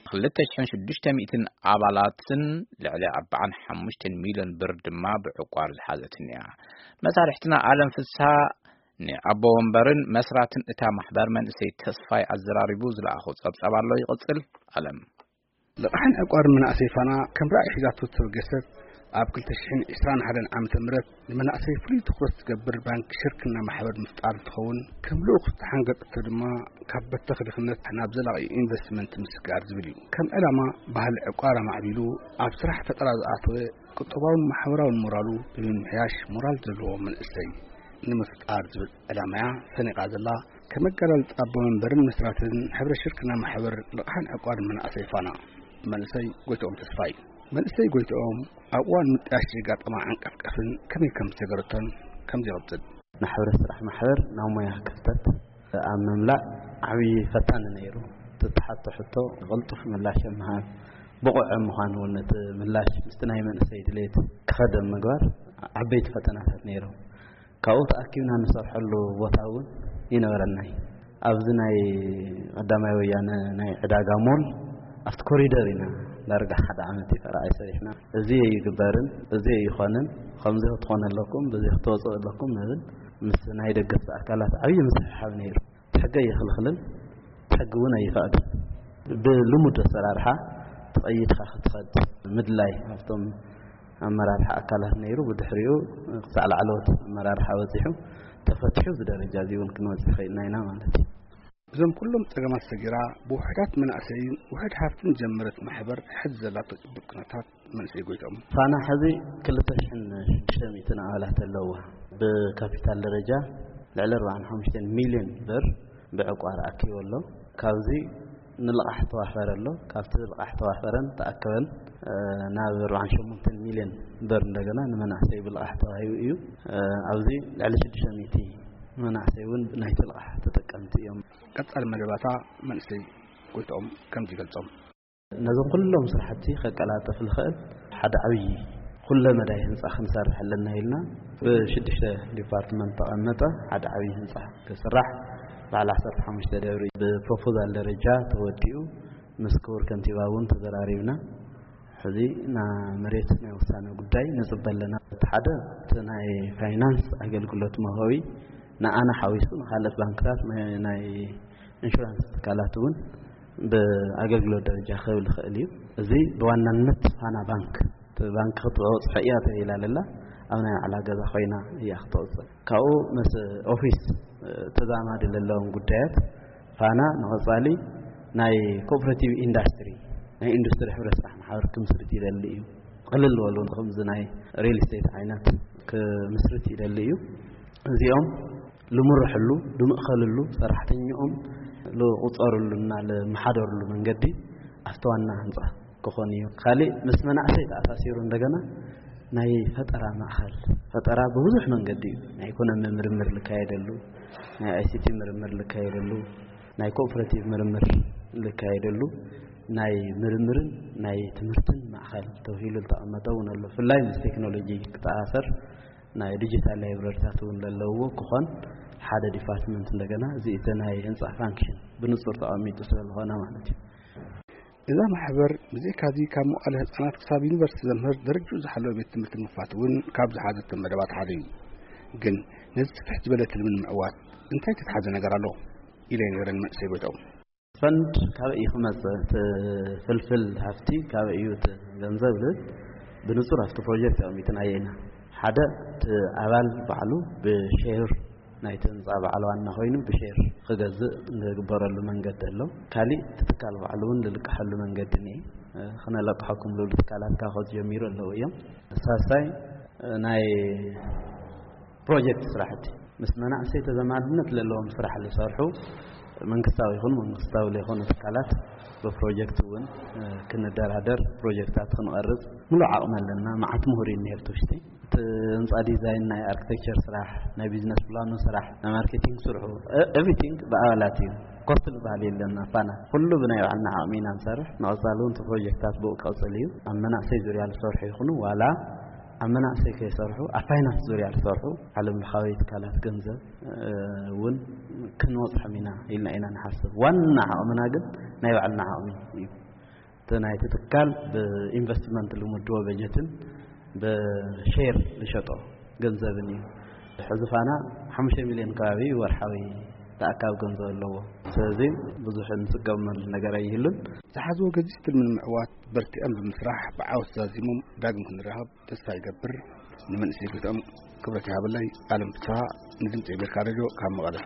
ክልተ ሽሕን ሽዱሽተ ሚእትን ኣባላትን ልዕሊ ኣርባዓን ሓሙሽተን ሚልዮን ብር ድማ ብዕቋር ዝሓዘትን እያ። መሳርሕትና ኣለም ፍስሃ ንኣቦ ወንበርን መስራትን እታ ማሕበር መንእሰይ ተስፋይ ኣዘራሪቡ ዝለኣኾ ጸብጻብ ኣሎ። ይቕጽል። ኣለም። ልቓሕን ዕቋርን መናእሰይ ፋና ከም ራእይ ሒዛቶ ዝተበገሰት ኣብ ክልተ ሽሕን ዕስራን ሓደን ዓመተ ምህረት ንመናእሰይ ፍሉይ ትኹረት ዝገብር ባንክ ሽርክና ማሕበር ምፍጣር እንትኸውን፣ ከም ልኡኽ ዝተሓንገጠቶ ድማ ካብ በተኽ ድኽነት ናብ ዘላቒ ኢንቨስትመንት ምስጋር ዝብል እዩ። ከም ዕላማ ባህሊ ዕቋር ኣማዕቢሉ ኣብ ስራሕ ፈጠራ ዝኣተወ ቁጠባውን ማሕበራውን ሞራሉ ብምምሕያሽ ሞራል ዘለዎ መንእሰይ ንምፍጣር ዝብል ዕላማያ ሰኒቓ ዘላ ከም ኣገላልጻ ኣቦ መንበርን መስራትን ሕብረ ሽርክና ማሕበር ልቓሕን ዕቋርን መንእሰይ ፋና መንእሰይ ጎይትኦም ተስፋይ። መንእሰይ ጎይትኦም ኣብ እዋን ምጥያሽ ዘጋጠማ ዓንቀፍቀፍን ከመይ ከም ዝተገረቶን ከምዚ ይቕጽል። ንሕብረት ስራሕ ማሕበር ናብ ሞያ ክፍተት ኣብ ምምላእ ዓብዪ ፈታኒ ነይሩ። እቲ እተሓቶ ሕቶ ቅልጡፍ ምላሽ ኣብ ምሃብ፣ ብቑዕ ኣብ ምዃን እውን እቲ ምላሽ ምስቲ ናይ መንእሰይ ድሌት ክኸድ ኣብ ምግባር ዓበይቲ ፈተናታት ነይሮም። ካብኡ ተኣኪብና ንሰርሐሉ ቦታ እውን ይነበረናይ። ኣብዚ ናይ ቀዳማይ ወያነ ናይ ዕዳጋ ሞል ኣብቲ ኮሪደር ኢና ዳርጋ ሓደ ዓመት እዩ ፈራዓይ ሰሪሕና። እዚ ኣይግበርን፣ እዚ ኣይኾንን፣ ከምዚ ክትኾኑ ኣለኩም፣ በዚ ክትወፅኡ ኣለኩም ንብል። ምስ ናይ ደገፍቲ ኣካላት ዓብዪ ምስሕሓብ ነይሩ። እቲ ሕጊ ኣይኽልኽልን፣ እቲ ሕጊ እውን ኣይፈቕድን። ብልሙድ ኣሰራርሓ ተቐይድካ ክትኸድ ምድላይ ኣብቶም ኣመራርሓ ኣካላት ነይሩ። ብድሕሪኡ ክሳዕ ላዕለዎት ኣመራርሓ በፂሑ ተፈቲሑ፣ እዚ ደረጃ እዚ እውን ክንበፅሕ ኽኢልና ኢና ማለት እዩ። እዞም ኩሎም ጸገማት ሰጊራ ብውሑዳት መናእሰይን ውሑድ ሃፍትን ዝጀመረት ማሕበር ሕዚ ዘላቶ ጽቡቕ ኩነታት መንእሰይ ጎይቶም። ፋና ሕዚ ክልተ ሽሕን ሽዱሽተ ሚእትን ኣባላት ኣለዋ። ብካፒታል ደረጃ ልዕሊ ኣርባዓን ሓሙሽተን ሚልዮን ብር ብዕቋር ኣኪቡ ኣሎ። ካብዚ ንልቓሕ ተዋፈረ ኣሎ። ካብቲ ልቓሕ ተዋፈረን ተኣከበን፣ እ፣ ናብ ኣርባዓን ሸሞንተን ሚልዮን ብር እንደገና ንመናእሰይ ብልቓሕ ተዋሂቡ እዩ። እ፣ ኣብዚ ልዕሊ ሽዱሽተ ሚእቲ መናእሰይ እውን ናይቲ ልቓሕ ተጠቀምቲ እዮም። ቀጻሊ መደባታ መንእሰይ ጎይትኦም ከምዚ ይገልጾም። ነዞም ኩሎም ስራሕቲ ከቀላጥፍ ዝኽእል ሓደ ዓብዪ ኩለ መዳይ ህንፃ ክንሰርሕ ኣለና ኢልና ብሽዱሽተ ዲፓርትመንት ተቐመጠ ሓደ ዓብዪ ህንፃ ክስራሕ በዓል ዓሰርተ ሓሙሽተ ደብሪ ብፕሮፖዛል ደረጃ ተወዲኡ ምስ ክቡር ከንቲባ እውን ተዘራሪብና። ሕዚ ና መሬት ናይ ውሳነ ጉዳይ ንጽበ ኣለና። እቲ ሓደ እቲ ናይ ፋይናንስ ኣገልግሎት መውሃቢ ንኣና ሓዊሱ ንኻልኦት ባንክታት፣ ናይ፣ ናይ ኢንሹራንስ ትካላት እውን ብኣገልግሎት ደረጃ ክህብ ዝኽእል እዩ። እዚ ብዋናነት ፋና ባንክ፣ እቲ ባንክ ክትበጽሖ እያ ተባሂላ ዘላ ኣብ ናይ ባዕላ ገዛ ኮይና እያ ክትወጽእ። ካብኡ ምስ ኦፊስ ተዛማዲ ዘለዎም ጉዳያት ፋና ንቐጻሊ ናይ ኮኦፐሬቲቭ ኢንዳስትሪ፣ ናይ ኢንዱስትሪ ሕብረት ስራሕ ማሕበር ክምስርት ይደሊ እዩ። ቅልል ዝበሉ ከምዚ ናይ ሪል ስቴት ዓይነት ክምስርት ይደሊ እዩ። እዚኦም ልምርሕሉ፣ ልምእኸልሉ፣ ሰራሕተኛኦም ልቁጸርሉና ልመሓደርሉ መንገዲ ኣብቲ ዋና ህንጻ ክኾን እዩ። ካልእ ምስ መናእሰይ ተኣሳሲሩ እንደገና ናይ ፈጠራ ማእኸል፣ ፈጠራ ብብዙሕ መንገዲ እዩ። ናይ ኢኮኖሚ ምርምር ልካየደሉ፣ ናይ ኣይሲቲ ምርምር ልካየደሉ፣ ናይ ኮኦፐሬቲቭ ምርምር ልካየደሉ፣ ናይ ምርምርን ናይ ትምህርትን ማእኸል ተባሂሉ ዝተቐመጠ እውን ኣሎ። ብፍላይ ምስ ቴክኖሎጂ ክተኣሳሰር ናይ ዲጂታል ላይብረሪታት እውን ለለውዎ ክኾን ሓደ ዲፓርትመንት እንደገና እዚ እቲ ናይ ህንፃ ፋንክሽን ብንፁር ተቐሚጡ ስለ ዝኾነ ማለት እዩ። እዛ ማሕበር ብዘይካዚ ካብ መዋእለ ህፃናት ክሳብ ዩኒቨርሲቲ ዘምህር ደረጅኡ ዝሓለወ ቤት ትምህርቲ ንምኽፋት እውን ካብ ዝሓዘቶም መደባት ሓደ እዩ። ግን ነዚ ስፍሕ ዝበለ ትልሚ ንምዕዋት እንታይ ዝተትሓዘ ነገር ኣሎ? ኢለ ነይረ ንመንእሰይ ጎይትኦም። ፈንድ ካበይ እዩ ክመጽእ? እቲ ፍልፍል ሃፍቲ ካበይ እዩ? እቲ ገንዘብ ዝብል ብንጹር ኣብቲ ፕሮጀክት ኣቐሚጥናዮ ኢና። ሓደ፣ እቲ ኣባል ባዕሉ ብሼር ናይቲ ህንጻ በዓል ዋና ኮይኑ ብሼር ክገዝእ ዝግበረሉ መንገዲ ኣሎ። ካሊእ፣ እቲ ትካል ባዕሉ እውን ዝልቅሐሉ መንገዲ እኒአ። ክነለቅሐኩም ዝብሉ ትካላት ካብ ከዚ ጀሚሩ ኣለዉ እዮም። ሳልሳይ፣ ናይ ፕሮጀክት ስራሕቲ ምስ መናእሰይ ተዘማድነት ዘለዎም ስራሕ ዝሰርሑ መንግስታዊ ይኹን መንግስታዊ ዘይኮኑ ትካላት ብፕሮጀክት እውን፣ እ፣ ክንደራደር፣ ፕሮጀክታት ክንቐርጽ ምሉእ ዓቕሚ ኣለና። መዓት ምሁር እዩ እኒሄ ኣብቲ ውሽጢ። እቲ ህንፃ ዲዛይን፣ ናይ ኣርክቴክቸር ስራሕ፣ ናይ ቢዝነስ ፕላኑ ስራሕ፣ ናይ ማርኬቲንግ ስርሑ፣ እ-፣ ኤቭሪቲንግ ብኣባላት እዩ። ኮስት ዝበሃል የለን። ፋና ኩሉ ብናይ ባዕልና ዓቕሚ ኢና ንሰርሕ። ንቐፃሊ እውን እቲ ፕሮጀክታት ብኡ ክቕፅል እዩ። ኣብ መናእሰይ ዙርያ ዝሰርሑ ይኹኑ ዋላ ኣብ መናእሰይ ከይሰርሑ ኣብ ፋይናንስ ዙርያ ዝሰርሑ ዓለም ለኻዊ ትካላት ገንዘብ፣ እ፣ እውን ንበፅሖም ኢና ኢልና ኢና ንሓስብ። ዋና ዓቕምና ግን ናይ ባዕልና ዓቕሚ እዩ። እቲ ናይቲ ትካል ብኢንቨስትመንት ልምድዎ በጀትን ብሼር ዝሸጦ ገንዘብን እዩ። ሕዚ ፋና ሓሙሽተ ሚልዮን ከባቢ ወርሓዊ ተኣካብ ገንዘብ ኣለዎ። ስለዚ ብዙሕ እንስገመሉ ነገር ኣይህሉን። ዝሓዝዎ ገዚፍ ትልሚ ንምዕዋት በርቲዖም ብምስራሕ ብዓወት ዛዚሞም ዳግም ክንራኸብ ተስፋ ይገብር። ንመንእሰይ ግድኦም ክብረት ይሃበለይ። ኣለም ፍስሃ፣ ንድምፂ ኣሜሪካ ሬድዮ ካብ መቐለ።